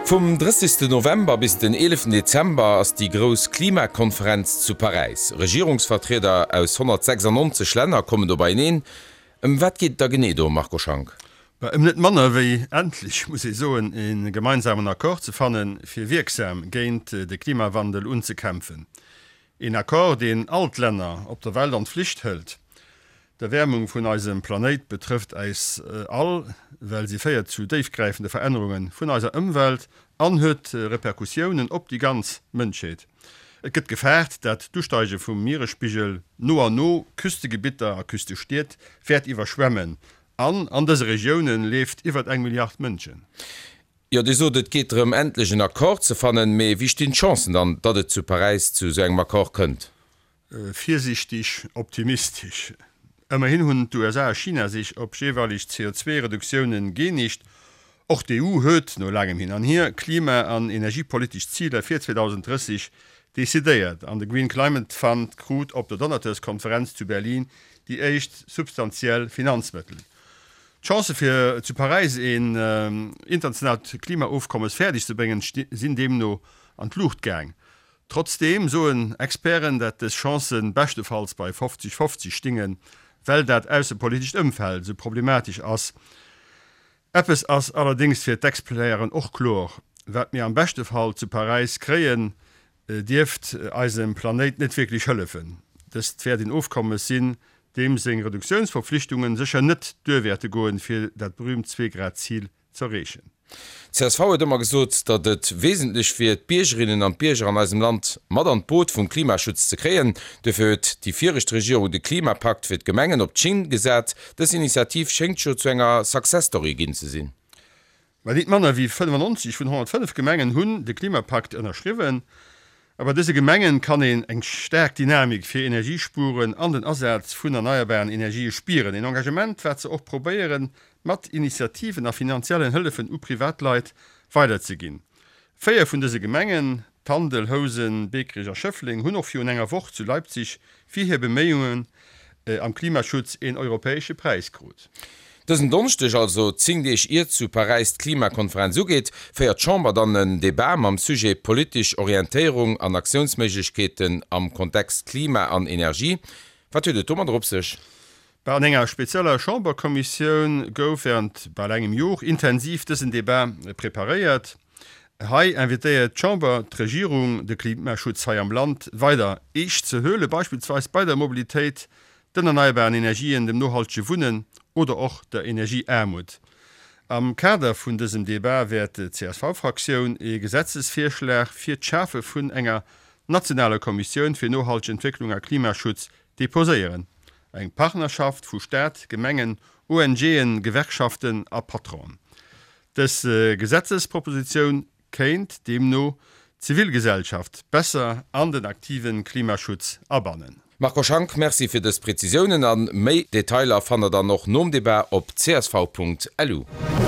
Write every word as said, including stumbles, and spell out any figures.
Vum drëssigste November bis den eeleften Dezember ass déi grouss Klimakonferenz zu Paräis. Regierungsvertrieder aus honnertsechsundneunzeg Länner kommen do beieneen. Ëm wat geet et da genee do, Marco Schank? Ëm net manner wéi, endlech muss ee soen, e gemeinsamen Accord ze fannen, fir wierksam géint de Klimawandel unzekämpfen. Een Accord, deen all d'Länner op der Welt an d'Flicht hëlt. D'Erwäermung vun eisem Planéit betrëfft äis all, well si féiert zu déifgräifende Verännerunge vun eiser Ëmwelt an huet Repercussiounen op déi ganz Mënschheet. Et gëtt gefaart, dat d'Usteige vum Mieresspigel no an no Küstegebitter a Küstestied wäert iwwerschwemmen. An an dëse Regioune leeft iwwert eng Milliard Mënschen. Jo, Dir sot, et geet drëm, endlech en Accord ze fannen. Mee wéi stinn d'Chancen dann, datt et zu Paräis zu esou engem Accord kënnt? Virsiichteg optimistesch. Ëmmerhin hunn d'U S A a China sech op jeeweileg C O zwei Reduktioune geenegt. Och d'E U huet, no laangem Hin an Hier, klima an energiepolitesch Ziler fir zweedausenddrësseg decidéiert. An de Green Climate Fund krut op der Donateurskonferenz zu Berlin déi éischt substantiell Finanzmëttel. D'Chancë fir zu Paräis een internationaalt Klimaofkommes fäerdeg ze bréngen, sinn deemno an d'Luucht gaang. Trotzdeem soen Experten, dat dës Chancë beschtefalls bei fofzeg fofzeg stingen, well dat aussepolitescht Ëmfeld esou problematesch ass. Eppes ass allerdéngs fir d'Experten och kloer, Wat mir am beschte Fall zu Paräis kréien, dierft eisem Planéit net wierklech hëllefen. Dëst wäert een Ofkommes sinn, deem seng Reduktiounsverpflichtungen sécher net duer wäerte goen, fir dat berüümt Zwee-Grad-Zil z'erreechen. D' C S V huet ëmmer gesot, datt et wesentlech wier, d'Biergerinnen an d'Bierger an eisem Land mat an d'Boot vum Klimaschutz ze kréien. Duerfir huet déi viregt Regierung de Klimapakt fir d'Gemengen op d'Schinn gesat. Dës Initiativ schéngt jo zu enger Success Story ginn ze sinn. Mä nit manner wéi fënnefannonzeg vun honnertfënnef Gemengen hunn de Klimapakt ënnerschriwwen. A bei dëse Gemengen kann een eng staark Dynamik fir Energiespueren an den Asaz vun erneierbaren Energië spieren. Een Engagement, wat se och probéieren, mat Initiativen a finanziellen Hëllefen u Privatleit weiderzeginn. Véier vun dëse Gemengen, Tandel, Housen, Beekerich a Schëffleng, hunn och virun enger Woch zu Leipzig fir hir Beméiungen am Klimaschutz een europäesche Präis krut. Dësen Donneschdeg, also zéng Deeg iert zu Paräis d'Klimakonferenz ugeet, féiert d'Chamber dann en Debat mam Sujet Politesch Orientéierung an Aktiounsméiglechkeeten am Kontext Klima an Energie. Wat huet et domadder op sech? An enger spezieller Chamberkommissioun gouf während bal engem Jor intensiv dësen Debat preparéiert. Hei invitéiert d'Chamber d'Regierung, de Klimaschutz hei am Land weider eescht ze huelen, beispillsweis bei der Mobilitéit, den erneierbaren Energien, dem nohaltege Wunnen oder och der Energieaarmut. Am Kader vun dësem Debat wäert d'C S V-Fraktioun ee Gesetzesvirschlag fir d'Schafe vun enger nationaler Kommissioun fir nohalteg Entwécklung a Klimaschutz deposéieren. Eng Partnerschaft vu Staat, Gemengen, O N G'en, Gewerkschaften a Patronen. Dës Gesetzespropositioun kéint deemno d'Zivilgesellschaft besser an den aktive Klimaschutz abannen. Marco Schank, Merci fir dës Prezisiounen an méi Detailer fannt der dann och nom Debat op c s v punkt l u.